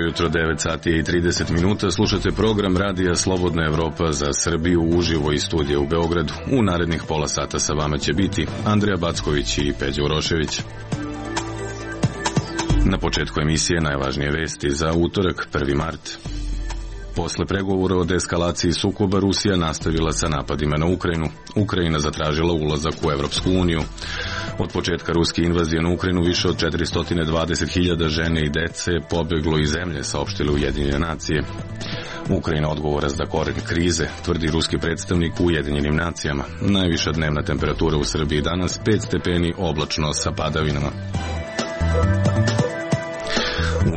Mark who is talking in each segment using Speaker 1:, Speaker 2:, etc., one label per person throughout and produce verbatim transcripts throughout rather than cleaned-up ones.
Speaker 1: Jutro devet sati i trideset minuta, slušate program Radija Slobodna Evropa za Srbiju uživo iz studija u Beogradu. U narednih pola sata sa vama će biti Andreja Backović i Peđa Urošević. Na početku emisije najvažnije vesti za utorak, prvi mart. Posle pregovora o deeskalaciji sukoba, Rusija nastavila sa napadima na Ukrajinu. Ukrajina zatražila ulazak u Evropsku uniju. Od početka ruske invazije na Ukrajinu više od četiristo dvadeset hiljada žene i dece pobeglo iz zemlje, saopštile Ujedinjene nacije. Ukrajina odgovora za koren krize, tvrdi ruski predstavnik u Ujedinjenim nacijama. Najviša dnevna temperatura u Srbiji danas pet stepeni, oblačno sa padavinama.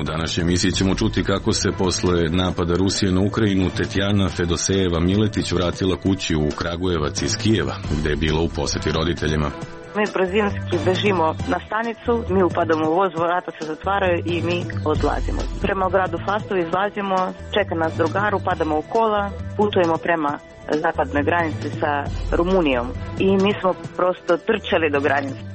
Speaker 1: U današnjoj emisiji ćemo čuti kako se posle napada Rusije na Ukrajinu Tetjana Fedosejeva Miletić vratila kući u Kragujevac iz Kijeva, gde je bila u poseti roditeljima.
Speaker 2: Mi brzinski bežimo na stanicu, mi upadamo u voz, vrata se zatvaraju i mi odlazimo. Prema gradu Fastovu izlazimo, čeka nas drugar, upadamo u kola, putujemo prema zapadnoj granici sa Rumunijom i mi smo prosto trčali do granice.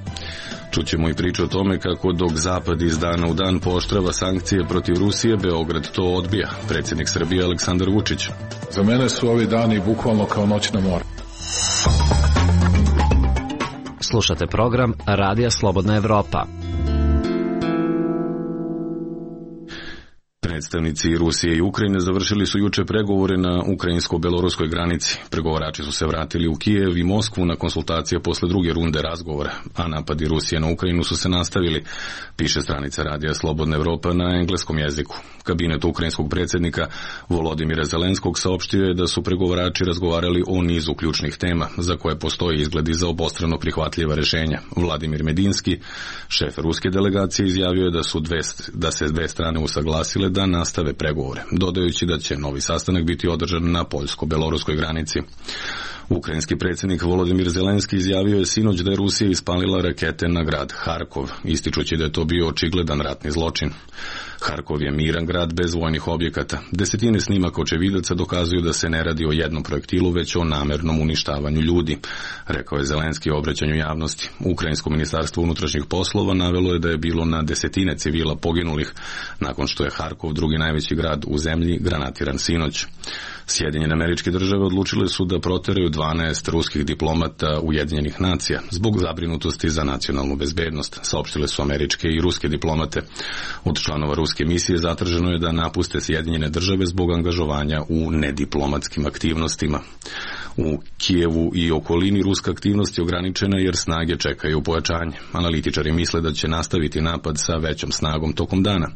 Speaker 1: Čućemo i priču o tome kako dok Zapad iz dana u dan pooštrava sankcije protiv Rusije, Beograd to odbija. Predsjednik Srbije Aleksandar Vučić.
Speaker 3: Za mene su ovi dani bukvalno kao noć na more.
Speaker 4: Slušate program Radija Slobodna Evropa.
Speaker 1: Predstavnici Rusije i Ukrajine završili su juče pregovore na ukrajinsko-beloruskoj granici. Pregovarači su se vratili u Kijev i Moskvu na konsultacije posle druge runde razgovora, a napadi Rusije na Ukrajinu su se nastavili, piše stranica Radija Slobodna Evropa na engleskom jeziku. Kabinet ukrajinskog predsjednika Volodimira Zelenskog saopštio je da su pregovarači razgovarali o nizu ključnih tema za koje postoji izgledi za obostrano prihvatljiva rešenja. Vladimir Medinski, šef ruske delegacije, izjavio je da su dve, da se dve strane usaglasile da nastave pregovore, dodajući da će novi sastanak biti održan na poljsko-beloruskoj granici. Ukrajinski predsjednik Volodimir Zelenski izjavio je sinoć da je Rusija ispalila rakete na grad Harkov, ističući da je to bio očigledan ratni zločin. Harkov je miran grad bez vojnih objekata. Desetine snimaka očevidaca dokazuju da se ne radi o jednom projektilu, već o namernom uništavanju ljudi, rekao je Zelenski u obraćanju javnosti. Ukrajinsko ministarstvo unutrašnjih poslova navelo je da je bilo na desetine civila poginulih nakon što je Harkov, drugi najveći grad u zemlji, granatiran sinoć. Sjedinjene Američke Države odlučile su da proteraju dvanaest ruskih diplomata Ujedinjenih nacija zbog zabrinutosti za nacionalnu bezbednost, saopštile su američke i ruske diplomate. Od članova ruske misije zatraženo je da napuste Sjedinjene Države zbog angažovanja u nediplomatskim aktivnostima. U Kijevu i okolini ruska aktivnost je ograničena jer snage čekaju pojačanje. Analitičari misle da će nastaviti napad sa većom snagom tokom dana.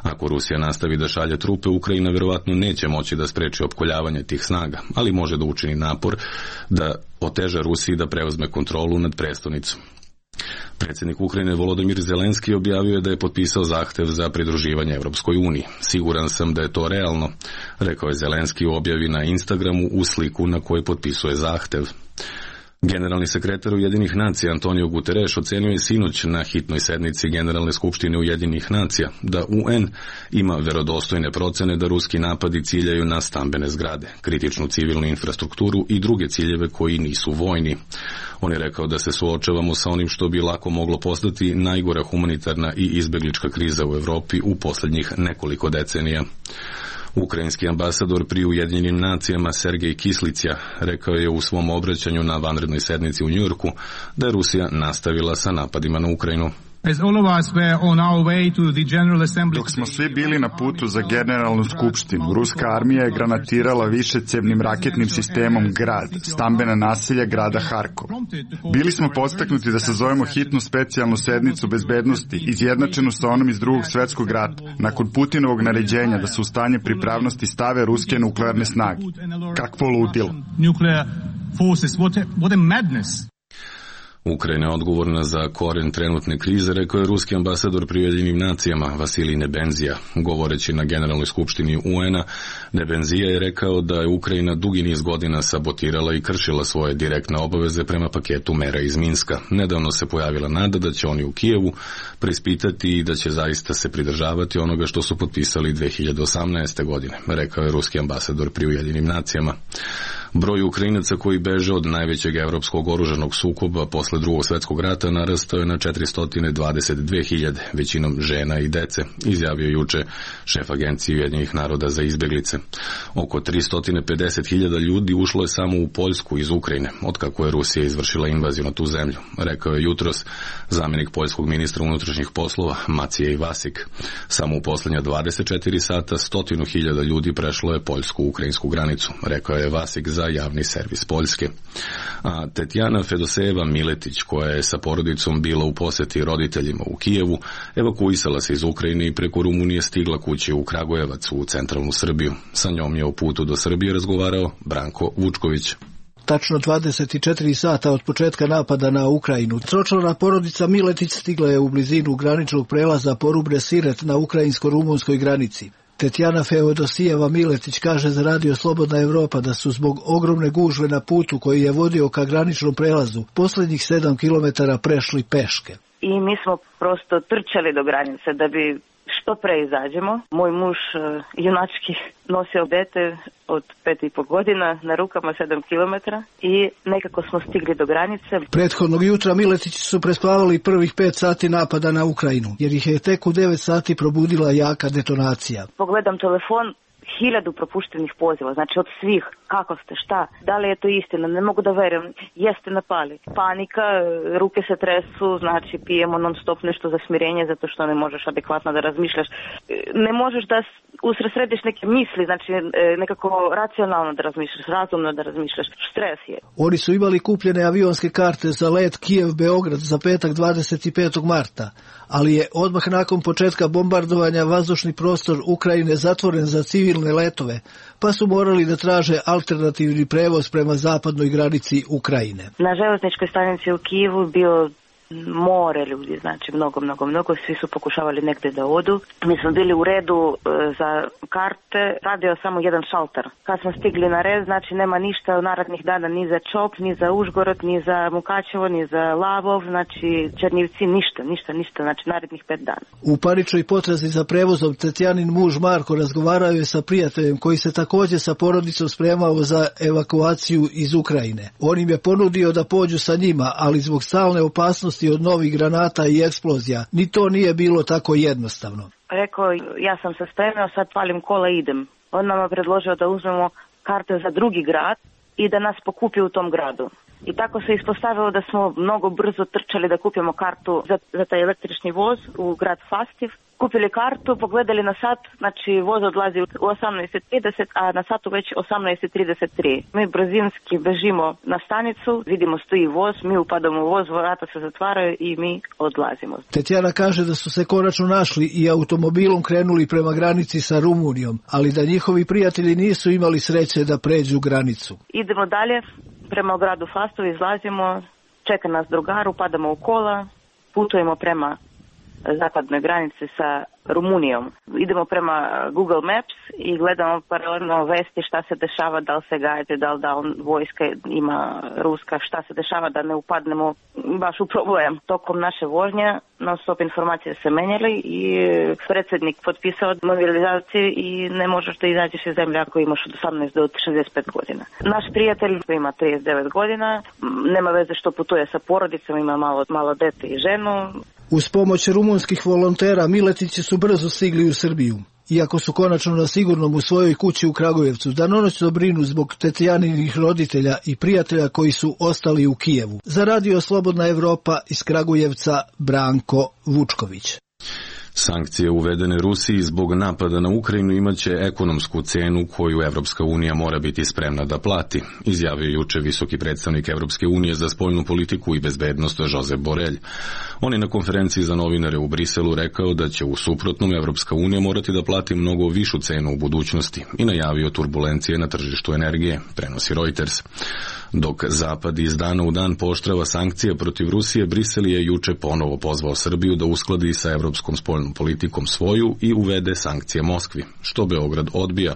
Speaker 1: Ako Rusija nastavi da šalje trupe, Ukrajina verovatno neće moći da spreči opkoljavanje tih snaga, ali može da učini napor da oteža Rusiji da preuzme kontrolu nad prestonicom. Predsjednik Ukrajine Volodimir Zelenski objavio je da je potpisao zahtev za pridruživanje Evropskoj uniji. Siguran sam da je to realno, rekao je Zelenski u objavi na Instagramu u sliku na kojoj potpisuje zahtev. Generalni sekretar Ujedinjenih nacija Antonio Guterres ocenio je sinoć na hitnoj sednici Generalne skupštine Ujedinjenih nacija da U N ima verodostojne procene da ruski napadi ciljaju na stambene zgrade, kritičnu civilnu infrastrukturu i druge ciljeve koji nisu vojni. On je rekao da se suočavamo sa onim što bi lako moglo postati najgora humanitarna i izbeglička kriza u Evropi u posljednjih nekoliko decenija. Ukrajinski ambasador pri Ujedinjenim nacijama Sergej Kislića rekao je u svom obraćanju na vanrednoj sednici u Njujorku da je Rusija nastavila sa napadima na Ukrajinu.
Speaker 5: Dok smo svi bili na putu za generalnu skupštinu, ruska armija je granatirala višecevnim raketnim sistemom grad, stambena naselja grada Harkov. Bili smo podstaknuti da sazovemo hitnu specijalnu sednicu bezbednosti, izjednačenu sa onom iz drugog svjetskog rata, nakon Putinovog naređenja da se u stanje pripravnosti stave ruske nuklearne snage. Kakvo ludilo!
Speaker 1: Ukrajina je odgovorna za koren trenutne krize, rekao je ruski ambasador pri Ujedinjenim nacijama Vasilij Nebenzija. Govoreći na Generalnoj skupštini U N-a, Nebenzija je rekao da je Ukrajina dugi niz godina sabotirala i kršila svoje direktne obaveze prema paketu mera iz Minska. Nedavno se pojavila nada da će oni u Kijevu preispitati i da će zaista se pridržavati onoga što su potpisali dve hiljade osamnaeste. godine, rekao je ruski ambasador pri Ujedinjenim nacijama. Broj Ukrajinaca koji beže od najvećeg evropskog oružanog sukoba posle drugog svjetskog rata narastao je na četiristo dvadeset dve hiljade, većinom žena i dece, izjavio juče šef Agencije Ujedinjenih naroda za izbeglice. Oko tristo pedeset hiljada ljudi ušlo je samo u Poljsku iz Ukrajine, otkako je Rusija izvršila invaziju na tu zemlju, rekao je jutros zamjenik poljskog ministra unutrašnjih poslova Maciej Vasik. Samo u posljednja dvadeset četiri sata stotinu hiljada ljudi prešlo je poljsku-ukrajinsku granicu, rekao je Vasik za javni servis Poljske. A Tetjana Fedosejeva Miletić, koja je sa porodicom bila u posjeti roditeljima u Kijevu, evakuisala se iz Ukrajine i preko Rumunije stigla kući u Kragujevac u centralnu Srbiju. Sa njom je o putu do Srbije razgovarao Branko Vučković.
Speaker 6: Tačno dvadeset četiri sata od početka napada na Ukrajinu, tročlana porodica Miletić stigla je u blizinu graničnog prelaza Porubre Siret na ukrajinsko-rumunskoj granici. Tetjana Feodosijeva Miletić kaže za Radio Slobodna Evropa da su zbog ogromne gužve na putu koji je vodio ka graničnom prelazu posljednjih sedam kilometara prešli peške.
Speaker 2: I mi smo prosto trčali do granice da bi što pre izađemo. Moj muž junački nosio dete od pet i po godina na rukama sedam kilometara i nekako smo stigli do granice.
Speaker 6: Prethodnog jutra Miletići su prespavali prvih pet sati napada na Ukrajinu, jer ih je tek u devet sati probudila jaka detonacija.
Speaker 2: Pogledam telefon, hiljadu propuštenih poziva, znači od svih, kako ste, šta, da li je to istina, ne mogu da verujem, jeste napali. Panika, ruke se tresu, znači pijemo non stop nešto za smirenje zato što ne možeš adekvatno da razmišljaš. Ne možeš da usredsrediš neke misli, znači nekako racionalno da razmišljaš, razumno da razmišljaš, stres je.
Speaker 6: Oni su imali kupljene avionske karte za let Kijev-Beograd za petak dvadeset petog marta, ali je odmah nakon početka bombardovanja vazdušni prostor Ukrajine zatvoren za civilne letove, pa su morali da traže alternativni prevoz prema zapadnoj granici Ukrajine.
Speaker 2: Na železničkoj stanici u Kijevu bio more ljudi, znači mnogo, mnogo, mnogo, svi su pokušavali negdje da odu. Mi smo bili u redu e, za karte, radio samo jedan šalter. Kad smo stigli na red, znači nema ništa u narednih dana ni za Čop, ni za Užgorod, ni za Mukačevo, ni za Lavov, znači Černivci, ništa, ništa, ništa, znači narednih pet dana.
Speaker 6: U paničnoj potrazi za prevozom Tetjanin muž Marko razgovarao je sa prijateljem koji se također sa porodicom spremao za evakuaciju iz Ukrajine. On im je ponudio da pođu sa njima, ali zbog stalne opasnosti od novih granata i eksplozija, ni to nije bilo tako jednostavno.
Speaker 2: Rekao, ja sam se spremio, sad palim kola i idem. On nam je predložio da uzmemo karte za drugi grad i da nas pokupi u tom gradu. I tako se ispostavilo da smo mnogo brzo trčali da kupimo kartu za, za taj električni voz u grad Fastiv. Kupili kartu, pogledali na sat, znači voz odlazi u osamnaest trideset, a na satu već osamnaest trideset tri. Mi brzinski bežimo na stanicu, vidimo stoji voz, mi upadamo u voz, vrata se zatvaraju i mi odlazimo.
Speaker 6: Tetjana kaže da su se konačno našli i automobilom krenuli prema granici sa Rumunijom, ali da njihovi prijatelji nisu imali sreće da pređu granicu.
Speaker 2: Idemo dalje, prema gradu Fastov izlazimo, čeka nas drugar, upadamo u kola, putujemo prema zapadnoj granici sa Rumunijom. Idemo prema Google Maps i gledamo paralelno vesti šta se dešava, da li se gajete, da li da on vojska ima ruska, šta se dešava da ne upadnemo baš u problem. Tokom naše vožnje non stop informacije se menjali i predsjednik potpisao mobilizaciju i ne možeš da izađeš iz zemlje ako imaš od osamnaest do šezdeset pet godina. Naš prijatelj koji ima trideset devet godina, nema veze što putuje sa porodicom, ima malo, malo dete i ženu.
Speaker 6: Uz pomoć rumunskih volontera Miletići su brzo stigli u Srbiju. Iako su konačno na sigurnom u svojoj kući u Kragujevcu, danonoćno brinu zbog Tetjaninih roditelja i prijatelja koji su ostali u Kijevu. Za Radio Slobodna Evropa iz Kragujevca Branko Vučković.
Speaker 1: Sankcije uvedene Rusiji zbog napada na Ukrajinu imaće ekonomsku cenu koju Evropska unija mora biti spremna da plati, izjavio juče visoki predstavnik Evropske unije za spoljnu politiku i bezbednost Josep Borrell. On je na konferenciji za novinare u Briselu rekao da će u suprotnom Evropska unija morati da plati mnogo višu cenu u budućnosti i najavio turbulencije na tržištu energije, prenosi Reuters. Dok Zapad iz dana u dan pooštrava sankcije protiv Rusije, Brisel je juče ponovo pozvao Srbiju da uskladi sa evropskom spoljnom politikom svoju i uvede sankcije Moskvi, što Beograd odbija.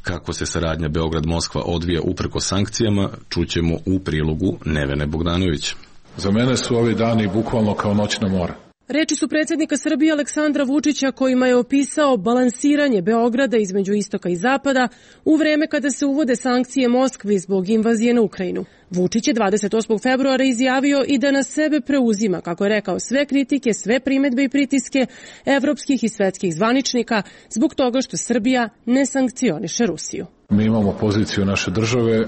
Speaker 1: Kako se saradnja Beograd-Moskva odvija uprko sankcijama, čućemo u prilogu Nevene Bogdanović.
Speaker 3: Za mene su ovi dani bukvalno kao noćna mora.
Speaker 7: Reči su predsjednika Srbije Aleksandra Vučića kojima je opisao balansiranje Beograda između istoka i zapada u vreme kada se uvode sankcije Moskvi zbog invazije na Ukrajinu. Vučić je dvadeset osmog februara izjavio i da na sebe preuzima, kako je rekao, sve kritike, sve primedbe i pritiske evropskih i svetskih zvaničnika zbog toga što Srbija ne sankcioniše Rusiju.
Speaker 3: Mi imamo poziciju naše države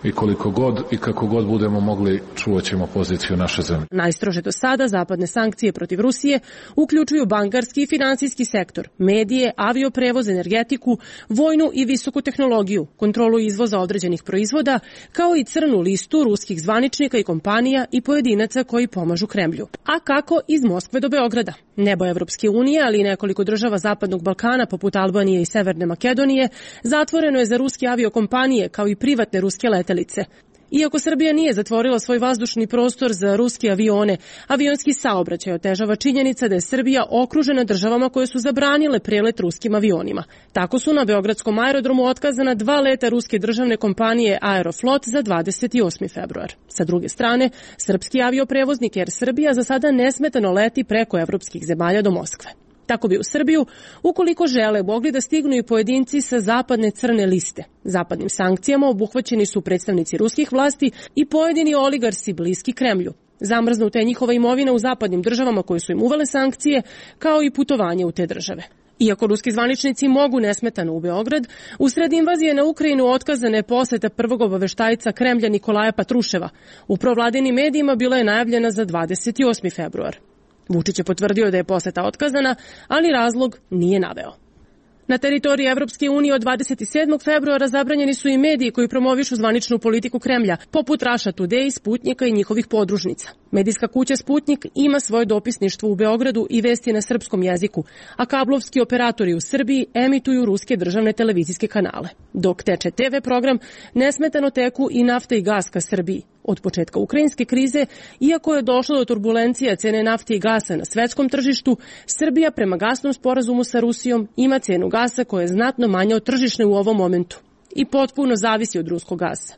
Speaker 3: i koliko god i kako god budemo mogli, čuvat ćemo poziciju naše zemlje.
Speaker 7: Najstrože do sada zapadne sankcije protiv Rusije uključuju bankarski i finansijski sektor, medije, avioprevoz, energetiku, vojnu i visoku tehnologiju, kontrolu izvoza određenih proizvoda, kao i crnu listu ruskih zvaničnika i kompanija i pojedinaca koji pomažu Kremlju. A kako iz Moskve do Beograda? Nebo Evropske unije, ali i nekoliko država Zapadnog Balkana, poput Albanije i Severne Makedonije, zatvoreno je za ruske aviokompanije, kao i privatne ruske letelice. Iako Srbija nije zatvorila svoj vazdušni prostor za ruske avione, avionski saobraćaj otežava činjenica da je Srbija okružena državama koje su zabranile prelet ruskim avionima. Tako su na beogradskom aerodromu otkazana dva leta ruske državne kompanije Aeroflot za dvadeset osmi februar. Sa druge strane, srpski avioprevoznik Air Srbija za sada nesmetano leti preko evropskih zemalja do Moskve. Tako bi u Srbiju, ukoliko žele, mogli da stignu i pojedinci sa zapadne crne liste. Zapadnim sankcijama obuhvaćeni su predstavnici ruskih vlasti i pojedini oligarsi bliski Kremlju. Zamrznuta je njihova imovina u zapadnim državama koje su im uvele sankcije, kao i putovanje u te države. Iako ruski zvaničnici mogu nesmetano u Beograd, usred invazije na Ukrajinu otkazana je poseta prvog obaveštajca Kremlja Nikolaja Patruševa. U provladinim medijima bila je najavljena za dvadeset osmi februar. Vučić je potvrdio da je poseta otkazana, ali razlog nije naveo. Na teritoriji Evropske unije od dvadeset sedmog februara zabranjeni su i mediji koji promovišu zvaničnu politiku Kremlja, poput Russia Today, Sputnjika i njihovih podružnica. Medijska kuća Sputnjik ima svoje dopisništvo u Beogradu i vesti na srpskom jeziku, a kablovski operatori u Srbiji emituju ruske državne televizijske kanale. Dok teče te ve program, nesmetano teku i nafta i gas ka Srbiji. Od početka ukrajinske krize, iako je došlo do turbulencija cene nafte i gasa na svetskom tržištu, Srbija prema gasnom sporazumu sa Rusijom ima cenu gasa koja je znatno manja od tržišne u ovom momentu i potpuno zavisi od ruskog gasa.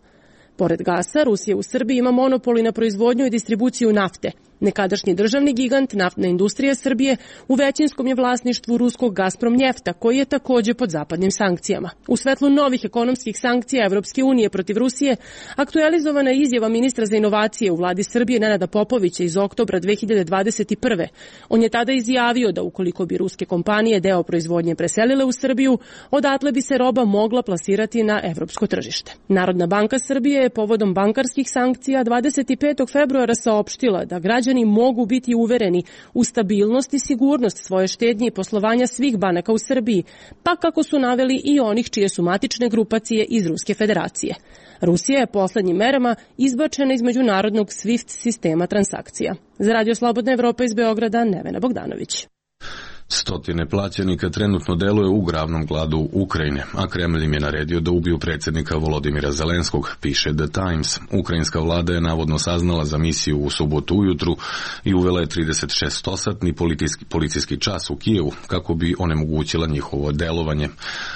Speaker 7: Pored gasa, Rusija u Srbiji ima monopoli na proizvodnju i distribuciju nafte. Nekadašnji državni gigant, naftna industrija Srbije, u većinskom je vlasništvu ruskog Gazprom njefta, koji je takođe pod zapadnim sankcijama. U svetlu novih ekonomskih sankcija Evropske unije protiv Rusije, aktualizovana je izjava ministra za inovacije u vladi Srbije Nenada Popovića iz oktobra dve hiljade dvadeset prve. On je tada izjavio da ukoliko bi ruske kompanije deo proizvodnje preselile u Srbiju, odatle bi se roba mogla plasirati na evropsko tržište. Narodna banka Srbije je povodom bankarskih sankcija dvadeset petog februara saopštila da građani Građani mogu biti uvereni u stabilnost i sigurnost svoje štednje i poslovanja svih banaka u Srbiji, pa kako su naveli i onih čije su matične grupacije iz Ruske federacije. Rusija je poslednjim merama izbačena iz međunarodnog SWIFT sistema transakcija. Za Radio Slobodna Evropa iz Beograda, Nevena Bogdanović.
Speaker 1: Stotine plaćenika trenutno deluje u glavnom gladu Ukrajine, a Kremlj im je naredio da ubiju predsjednika Volodimira Zelenskog, piše The Times. Ukrajinska vlada je navodno saznala za misiju u subotu ujutru i uvela je trideset šestosatni policijski, policijski čas u Kijevu kako bi onemogućila njihovo delovanje.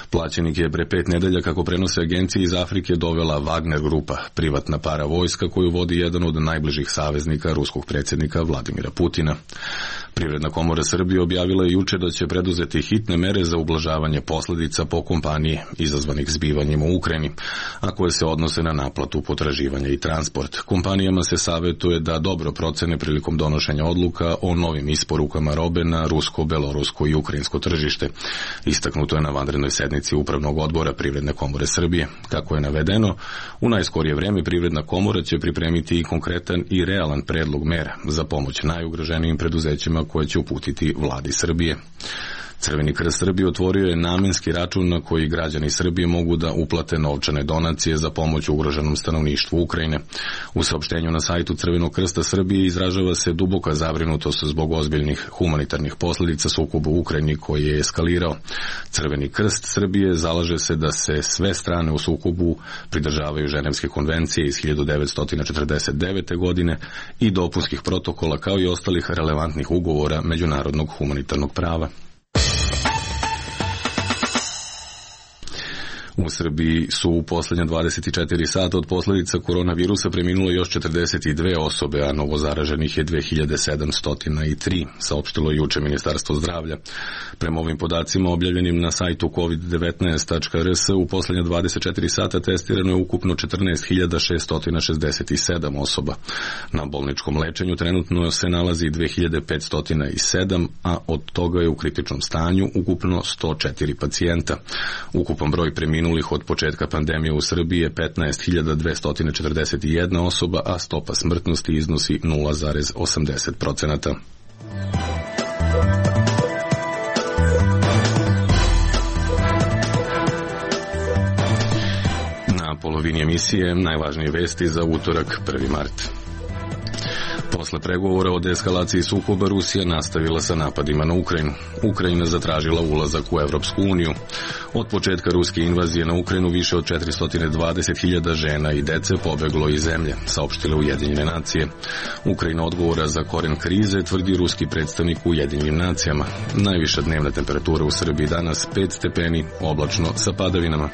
Speaker 1: Plaćenik je pre pet nedelja, kako prenose agencije iz Afrike, dovela Wagner grupa, privatna para vojska koju vodi jedan od najbližih saveznika ruskog predsjednika Vladimira Putina. Privredna komora Srbije objavila je juče da će preduzeti hitne mere za ublažavanje posljedica po kompanije izazvanih zbivanjima u Ukrajini, a koje se odnose na naplatu potraživanja i transport. Kompanijama se savjetuje da dobro procene prilikom donošenja odluka o novim isporukama robe na rusko, belorusko i ukrajinsko tržište. Istaknuto je na vanrednoj sednici Upravnog odbora Privredne komore Srbije. Kako je navedeno, u najskorije vreme Privredna komora će pripremiti i konkretan i realan predlog mera za pomoć najugroženijim preduzećima sredstvima koje će uputiti vladi Srbije. Crveni krst Srbije otvorio je namenski račun na koji građani Srbije mogu da uplate novčane donacije za pomoć ugroženom stanovništvu Ukrajine. U saopštenju na sajtu Crvenog krsta Srbije izražava se duboka zabrinutost zbog ozbiljnih humanitarnih posljedica sukoba u Ukrajini koji je eskalirao. Crveni krst Srbije zalaže se da se sve strane u sukobu pridržavaju Ženevske konvencije iz hiljadu devetsto četrdeset devete. godine i dopunskih protokola kao i ostalih relevantnih ugovora međunarodnog humanitarnog prava. U Srbiji su u posljednja dvadeset četiri sata od posljedica koronavirusa preminule još četrdeset dve osobe, a novozaraženih je dve hiljade sedamsto tri, saopštilo juče Ministarstvo zdravlja. Prema ovim podacima objavljenim na sajtu kovid devetnaest tačka er es u posljednja dvadeset četiri sata testirano je ukupno četrnaest hiljada šessto šezdeset sedam osoba. Na bolničkom lečenju trenutno se nalazi dve hiljade petsto sedam, a od toga je u kritičnom stanju ukupno sto četiri pacijenta. Ukupan broj preminulih od početka pandemije u Srbiji je petnaest hiljada dvesta četrdeset jedna osoba, a stopa smrtnosti iznosi nula zarez osamdeset procenata. Na polovini emisije najvažnije vesti za utorak prvi mart. Posle pregovora o deeskalaciji sukoba Rusija nastavila sa napadima na Ukrajinu. Ukrajina zatražila ulazak u Evropsku uniju. Od početka ruske invazije na Ukrajinu više od četiristo dvadeset hiljada žena i dece pobeglo iz zemlje, saopštile Ujedinjene nacije. Ukrajina odgovora za koren krize, tvrdi ruski predstavnik u Ujedinjenim nacijama. Najviša dnevna temperatura u Srbiji danas pet stepeni, oblačno sa padavinama.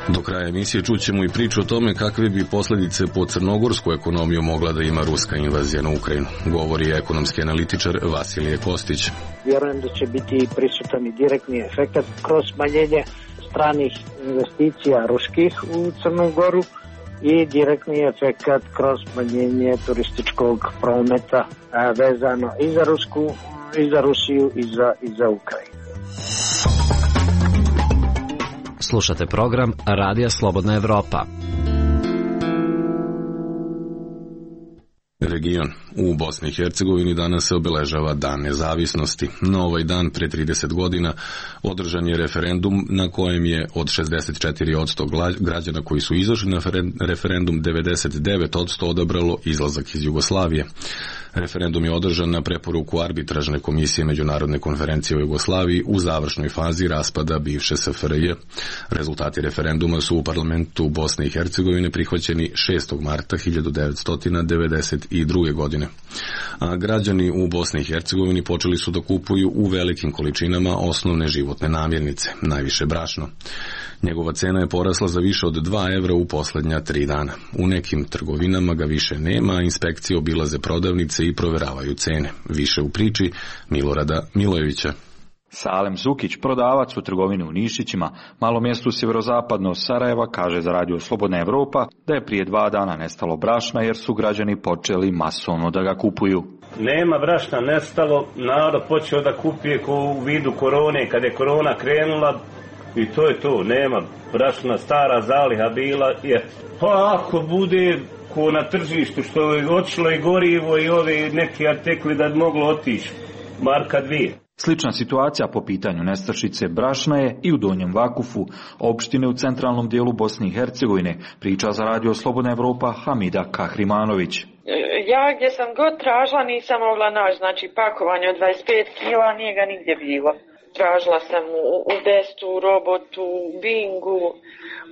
Speaker 1: Do kraja emisije čućemo i priču o tome kakve bi posljedice po crnogorsku ekonomiju mogla da ima ruska invazija na Ukrajinu. Govori ekonomski analitičar Vasilije Kostić.
Speaker 8: Vjerujem da će biti prisutan i direktni efekt kroz smanjenje stranih investicija ruskih u Crnu Goru i direktni efekt kroz smanjenje turističkog prometa vezano i za Rusku, i za Rusiju, i za, i za Ukrajinu.
Speaker 4: Slušate program Radija Slobodna Evropa.
Speaker 1: Region. U Bosni i Hercegovini danas se obeležava Dan nezavisnosti. Na ovaj dan pre trideset godina održan je referendum na kojem je od šezdeset četiri posto građana koji su izašli na referendum devedeset devet posto odabralo izlazak iz Jugoslavije. Referendum je održan na preporuku arbitražne komisije Međunarodne konferencije o Jugoslaviji u završnoj fazi raspada bivše es ef er je. Rezultati referenduma su u parlamentu Bosne i Hercegovine prihvaćeni šestog marta hiljadu devetsto devedeset druge. godine. A građani u Bosni i Hercegovini počeli su da kupuju u velikim količinama osnovne životne namirnice, najviše brašno. Njegova cena je porasla za više od dva evra u posljednja tri dana. U nekim trgovinama ga više nema, a inspekcije obilaze prodavnice i proveravaju cene. Više u priči Milorada Milojevića.
Speaker 9: Salem Zukić, prodavac u trgovini u Nišićima, malom mjestu sjeverozapadno od Sarajeva, kaže za Radio Slobodna Evropa da je prije dva dana nestalo brašna jer su građani počeli masovno da ga kupuju.
Speaker 10: Nema brašna nestalo, narod počeo da kupuje ko u vidu korone, kad je korona krenula i to je to, nema brašna, stara zaliha bila. Je. Pa ako bude ko na tržištu što je otišlo i gorivo i ove neki artikli da bi moglo otići, marka dvije.
Speaker 9: Slična situacija po pitanju nestašice brašna je i u Donjem Vakufu, opštine u centralnom dijelu Bosne i Hercegovine, priča za Radio Slobodna Evropa Hamida Kahrimanović.
Speaker 11: Ja gdje sam god tražila nisam mogla naći, znači pakovanje od dvadeset pet kila nije ga nigdje bilo. Tražila sam u, u Bestu, u Robotu, u Bingu,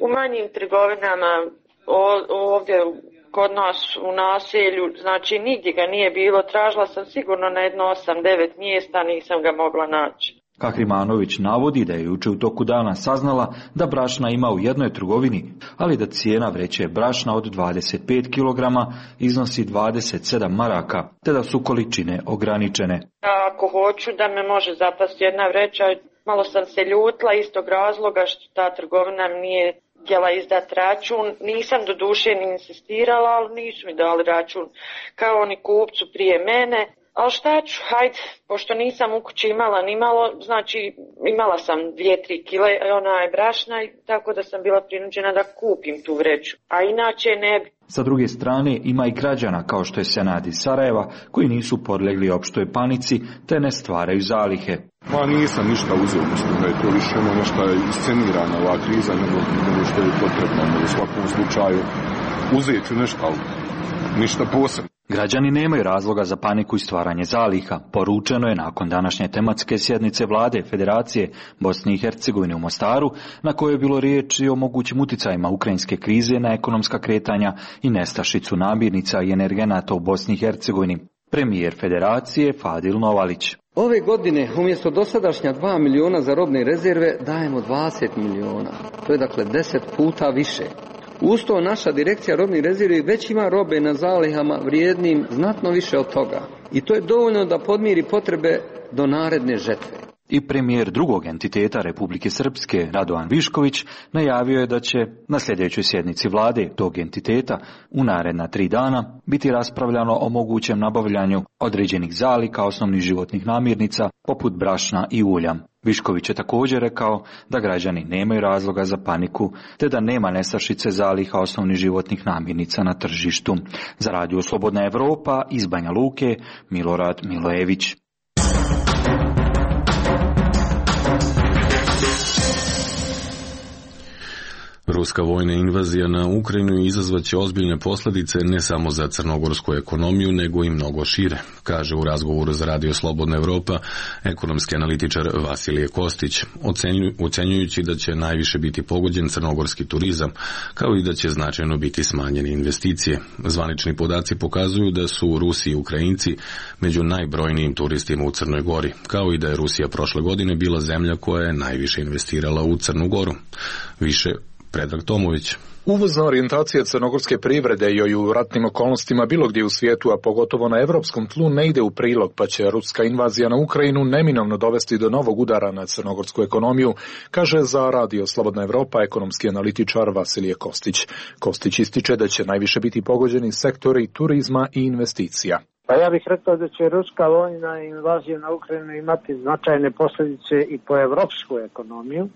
Speaker 11: u manjim trgovinama, o, ovdje kod nas u naselju, znači nigdje ga nije bilo, tražila sam sigurno na jedno osam devet mjesta, nisam ga mogla naći.
Speaker 9: Kahrimanović navodi da je juče u toku dana saznala da brašna ima u jednoj trgovini, ali da cijena vreće brašna od dvadeset pet kilograma iznosi dvadeset sedam maraka, te da su količine ograničene.
Speaker 11: Ako hoću da me može zapasti jedna vreća, malo sam se ljutila iz tog razloga što ta trgovina nije htjela izdati račun. Nisam do duše ni insistirala, ali nisu mi dali račun kao oni kupcu prije mene. Ali šta ću, hajde, pošto nisam u kući imala ni malo, znači imala sam dvije, tri kile onaj brašna, tako da sam bila prinuđena da kupim tu vreću, a inače ne bi.
Speaker 9: Sa druge strane ima i građana kao što je Senad iz Sarajeva koji nisu podlegli opštoj panici te ne stvaraju zalihe.
Speaker 12: Ma nisam ništa uzeo, mislim da je to više ono nešto iscenirana ova kriza nego, nego što je potrebno. U svakom slučaju uzet ću nešto, ali ništa posebno.
Speaker 9: Građani nemaju razloga za paniku i stvaranje zaliha, poručeno je nakon današnje tematske sjednice vlade Federacije Bosne i Hercegovine u Mostaru, na kojoj je bilo riječi o mogućim uticajima ukrajinske krize na ekonomska kretanja i nestašicu namirnica i energenata u Bosni i Hercegovini. Premijer Federacije Fadil Novalić.
Speaker 13: Ove godine umjesto dosadašnja dva miliona za robne rezerve dajemo dvadeset miliona. To je dakle deset puta više. Uz to naša direkcija robnih rezervi već ima robe na zalihama vrijednim znatno više od toga. I to je dovoljno da podmiri potrebe do naredne žetve.
Speaker 9: I premijer drugog entiteta Republike Srpske, Radovan Višković, najavio je da će na sljedećoj sjednici vlade tog entiteta u naredna tri dana biti raspravljano o mogućem nabavljanju određenih zaliha osnovnih životnih namirnica poput brašna i ulja. Višković je također rekao da građani nemaju razloga za paniku te da nema nestašice zaliha osnovnih životnih namirnica na tržištu. Za Radio Slobodna Evropa iz Banja Luke, Milorad Milojević.
Speaker 1: Ruska vojna invazija na Ukrajinu izazvaće ozbiljne posljedice ne samo za crnogorsku ekonomiju, nego i mnogo šire, kaže u razgovoru za Radio Slobodna Evropa ekonomski analitičar Vasilije Kostić, ocenjujući da će najviše biti pogođen crnogorski turizam, kao i da će značajno biti smanjene investicije. Zvanični podaci pokazuju da su Rusi i Ukrajinci među najbrojnijim turistima u Crnoj Gori, kao i da je Rusija prošle godine bila zemlja koja je najviše investirala u Crnu Goru. Više Predrag Tomović.
Speaker 14: Uvozna orijentacija crnogorske privrede joj u ratnim okolnostima bilo gdje u svijetu, a pogotovo na evropskom tlu, ne ide u prilog, pa će ruska invazija na Ukrajinu neminovno dovesti do novog udara na crnogorsku ekonomiju, kaže za Radio Slobodna Evropa ekonomski analitičar Vasilije Kostić. Kostić ističe da će najviše biti pogođeni sektori turizma i investicija.
Speaker 8: Pa ja bih rekao da će ruska vojna invazija na Ukrajinu imati značajne posljedice i po evropsku ekonomiju,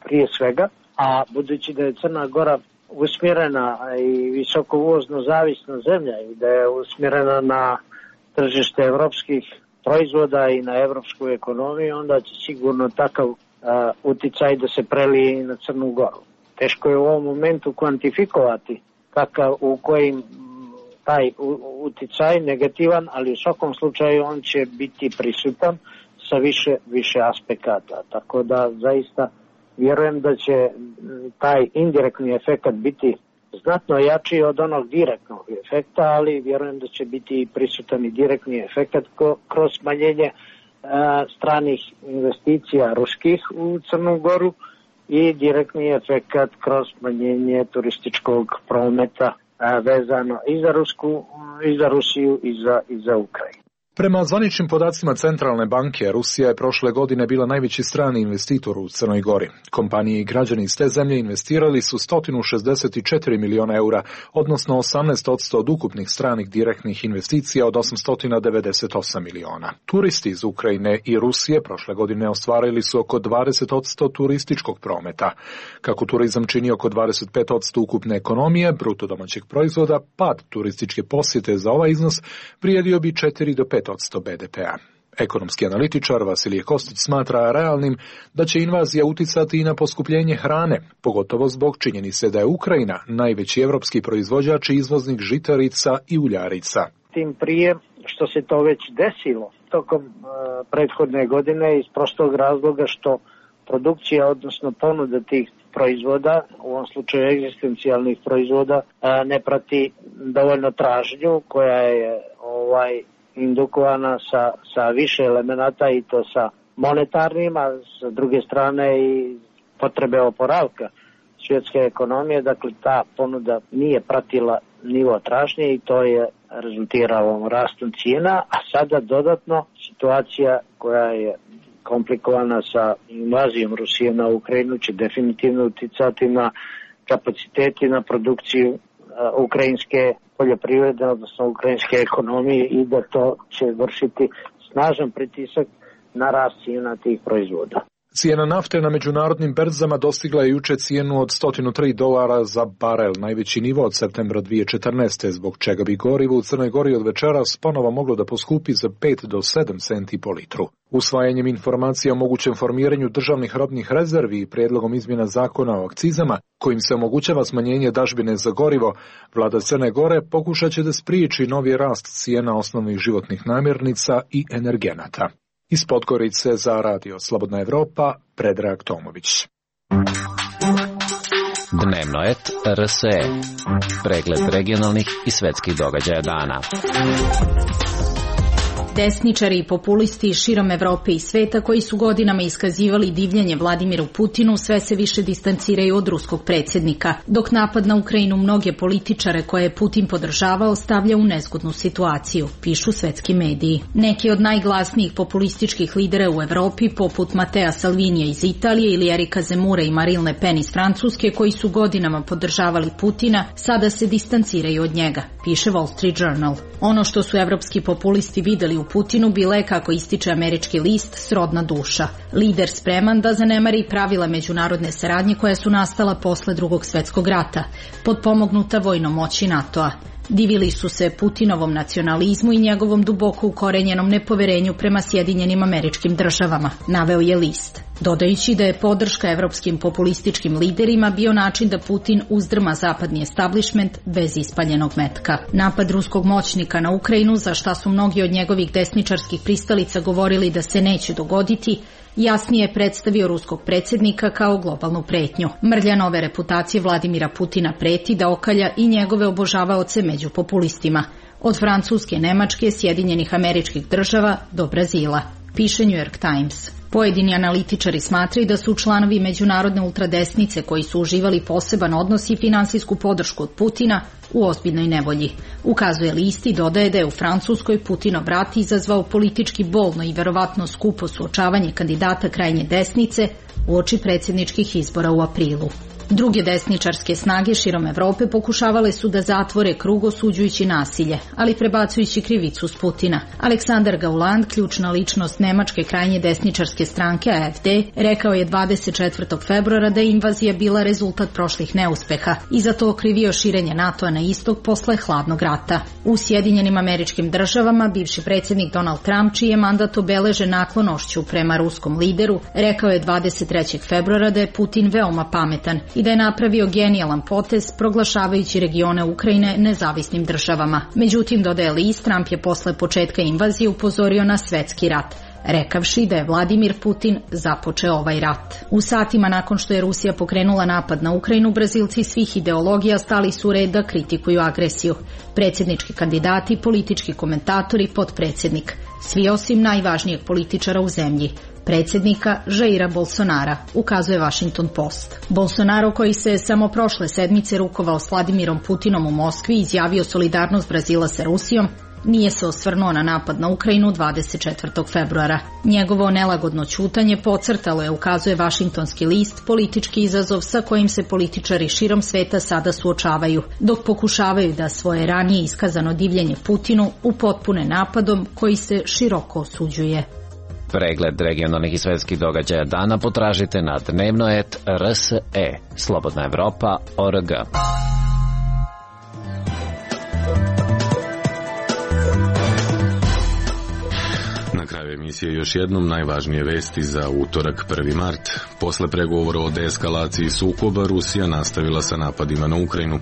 Speaker 8: prije svega. A budući da je Crna Gora usmjerena i visoko uvozno zavisna zemlja i da je usmjerena na tržište evropskih proizvoda i na evropsku ekonomiju, onda će sigurno takav uh, uticaj da se prelije i na Crnu Goru. Teško je u ovom momentu kvantifikovati kakav, u kojim taj uticaj negativan, ali u svakom slučaju on će biti prisutan sa više, više aspekata. Tako da zaista vjerujem da će taj indirektni efekt biti znatno jači od onog direktnog efekta, ali vjerujem da će biti prisutan i direktni efekt kroz smanjenje stranih investicija ruskih u Crnu Goru i direktni efekt kroz smanjenje turističkog prometa vezano i za Rusku, i za Rusiju i za, i za Ukrajinu.
Speaker 14: Prema zvaničnim podacima Centralne banke, Rusija je prošle godine bila najveći strani investitor u Crnoj Gori. Kompanije i građani iz te zemlje investirali su sto šezdeset četiri miliona eura, odnosno osamnaest posto od ukupnih stranih direktnih investicija od osamsto devedeset osam miliona. Turisti iz Ukrajine i Rusije prošle godine ostvarili su oko dvadeset posto turističkog prometa. Kako turizam čini oko dvadeset pet posto ukupne ekonomije, bruto domaćeg proizvoda, pad turističke posjete za ovaj iznos vrijedio bi četiri do pet posto be de pea. Ekonomski analitičar Vasilije Kostić smatra realnim da će invazija uticati i na poskupljenje hrane, pogotovo zbog činjenice da je Ukrajina najveći evropski proizvođač i izvoznik žitarica i uljarica.
Speaker 8: Tim prije što se to već desilo tokom uh, prethodne godine iz prostog razloga što produkcija, odnosno ponuda tih proizvoda, u ovom slučaju egzistencijalnih proizvoda, uh, ne prati dovoljno tražnju koja je ovaj indukovana sa, sa više elemenata i to sa monetarnim, a sa druge strane i potrebe oporavka svjetske ekonomije. Dakle, ta ponuda nije pratila nivo tražnje i to je rezultiralo rastom cijena, a sada dodatno situacija koja je komplikovana sa invazijom Rusije na Ukrajinu će definitivno uticati na kapaciteti, na produkciju ukrajinske poljoprivrede, odnosno ukrajinske ekonomije i da to će vršiti snažan pritisak na rast cijena tih proizvoda.
Speaker 14: Cijena nafte na međunarodnim berzama dostigla je juče cijenu od sto tri dolara za barel, najveći nivo od septembra dvije tisuće četrnaeste, zbog čega bi gorivo u Crnoj Gori od večeras ponovo moglo da poskupi za pet do sedam centi po litru. Usvajanjem informacija o mogućem formiranju državnih robnih rezervi i prijedlogom izmjena zakona o akcizama, kojim se omogućava smanjenje dažbine za gorivo, vlada Crne Gore pokušat će da spriječi novi rast cijena osnovnih životnih namirnica i energenata. Iz Podgorice za Radio Slobodna Evropa, Predrag Tomović.
Speaker 4: Dnevno et R S E. Pregled regionalnih i svetskih događaja dana.
Speaker 15: Desničari i populisti širom Evrope i sveta koji su godinama iskazivali divljenje Vladimiru Putinu sve se više distanciraju od ruskog predsjednika, dok napad na Ukrajinu mnoge političare koje je Putin podržavao stavlja u nezgodnu situaciju, pišu svetski mediji. Neki od najglasnijih populističkih lidera u Evropi, poput Matea Salvinija iz Italije ili Erika Zemura i Marine Le Pen iz Francuske, koji su godinama podržavali Putina, sada se distanciraju od njega, piše Wall Street Journal. Ono što su evropski populisti videli u Putinu bila je, kako ističe američki list, srodna duša. Lider spreman da zanemari pravila međunarodne saradnje koja su nastala posle Drugog svjetskog rata, potpomognuta vojnom moći NATO-a. Divili su se Putinovom nacionalizmu i njegovom duboko ukorenjenom nepoverenju prema Sjedinjenim Američkim Državama, naveo je list, dodajući da je podrška evropskim populističkim liderima bio način da Putin uzdrma zapadni establishment bez ispaljenog metka. Napad ruskog moćnika na Ukrajinu, za šta su mnogi od njegovih desničarskih pristalica govorili da se neće dogoditi, jasnije je predstavio ruskog predsjednika kao globalnu pretnju. Mrlja nove reputacije Vladimira Putina preti da okalja i njegove obožavaoce među populistima, od Francuske, Nemačke, Sjedinjenih Američkih Država do Brazila, piše New York Times. Pojedini analitičari smatraju da su članovi međunarodne ultradesnice koji su uživali poseban odnos i finansijsku podršku od Putina u ozbiljnoj nevolji. Ukazuje list i dodaje da je u Francuskoj Putinov rat izazvao politički bolno i verovatno skupo suočavanje kandidata krajnje desnice uoči predsjedničkih izbora u aprilu. Druge desničarske snage širom Evrope pokušavale su da zatvore krug osuđujući nasilje, ali prebacujući krivicu s Putina. Aleksandar Gauland, ključna ličnost nemačke krajnje desničarske stranke A F D, rekao je dvadeset četvrtog februara da je invazija bila rezultat prošlih neuspeha i za to okrivio širenje NATO-a na istok posle hladnog rata. U Sjedinjenim Američkim Državama bivši predsjednik Donald Trump, čiji je mandat obeležen naklonošću prema ruskom lideru, rekao je dvadeset trećeg februara da je Putin veoma pametan i da je napravio genijalan potez proglašavajući regione Ukrajine nezavisnim državama. Međutim, dodaje list, Trump je posle početka invazije upozorio na svetski rat, rekavši da je Vladimir Putin započeo ovaj rat. U satima nakon što je Rusija pokrenula napad na Ukrajinu, Brazilci svih ideologija stali su u red da kritikuju agresiju. Predsjednički kandidati, politički komentatori, potpredsjednik, svi osim najvažnijeg političara u zemlji, predsjednika Jaira Bolsonara, ukazuje Washington Post. Bolsonaro, koji se samo prošle sedmice rukovao s Vladimirom Putinom u Moskvi i izjavio solidarnost Brazila sa Rusijom, nije se osvrnuo na napad na Ukrajinu dvadeset četvrtog februara. Njegovo nelagodno ćutanje podcrtalo je, ukazuje Washingtonski list, politički izazov sa kojim se političari širom sveta sada suočavaju, dok pokušavaju da svoje ranije iskazano divljenje Putinu upotpune napadom koji se široko osuđuje.
Speaker 4: Pregled regionalnih i svetskih događaja dana potražite na dnevno et R S E, Slobodna Evropa, O R G.
Speaker 1: Na kraju emisije još jednom najvažnije vesti za utorak prvi mart. Posle pregovora o deeskalaciji sukoba, Rusija nastavila sa napadima na Ukrajinu.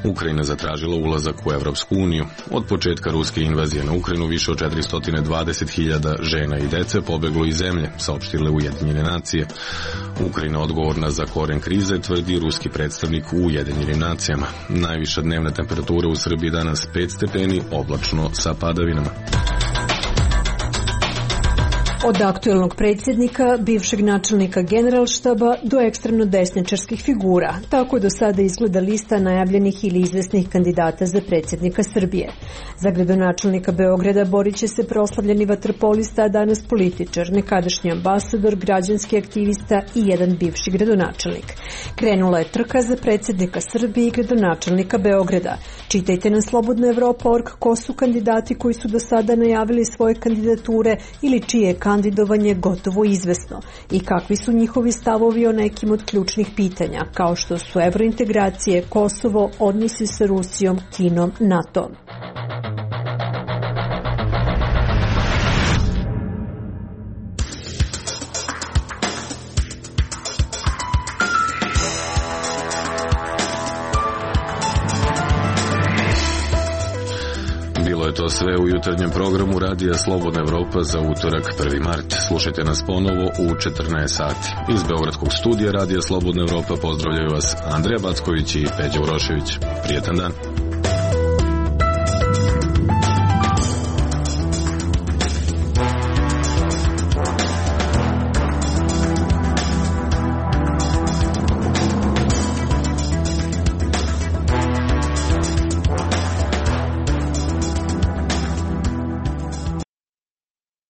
Speaker 1: Ukrajina zatražila ulazak u Evropsku uniju. Od početka ruske invazije na Ukrajinu više od četiristo dvadeset hiljada žena i dece pobeglo iz zemlje, saopštile Ujedinjene nacije. Ukrajina odgovorna za koren krize, tvrdi ruski predstavnik u Ujedinjenim nacijama. Najviša dnevna temperatura u Srbiji danas pet stepeni, oblačno sa padavinama.
Speaker 16: Od aktuelnog predsjednika, bivšeg načelnika generalštaba do ekstremno desničarskih figura. Tako do sada izgleda lista najavljenih ili izvesnih kandidata za predsjednika Srbije. Za gradonačelnika Beograda borit će se proslavljeni vaterpolista, a danas političar, nekadašnji ambasador, građanski aktivista i jedan bivši gradonačelnik. Krenula je trka za predsjednika Srbije i gradonačelnika Beograda. Čitajte na slobodna evropa tačka org ko su kandidati koji su do sada najavili svoje kandidature ili čije je kandidovanje gotovo izvesno i kakvi su njihovi stavovi o nekim od ključnih pitanja, kao što su evrointegracije, Kosovo, odnosi sa Rusijom, Kinom, NATO.
Speaker 1: Bilo je to sve u jutarnjem programu Radija Slobodna Evropa za utorak prvi mart. Slušajte nas ponovo u četrnaest sati. Iz Beogradskog studija Radija Slobodna Evropa pozdravljaju vas Andreja Backović i Peđa Urošević. Prijetan dan.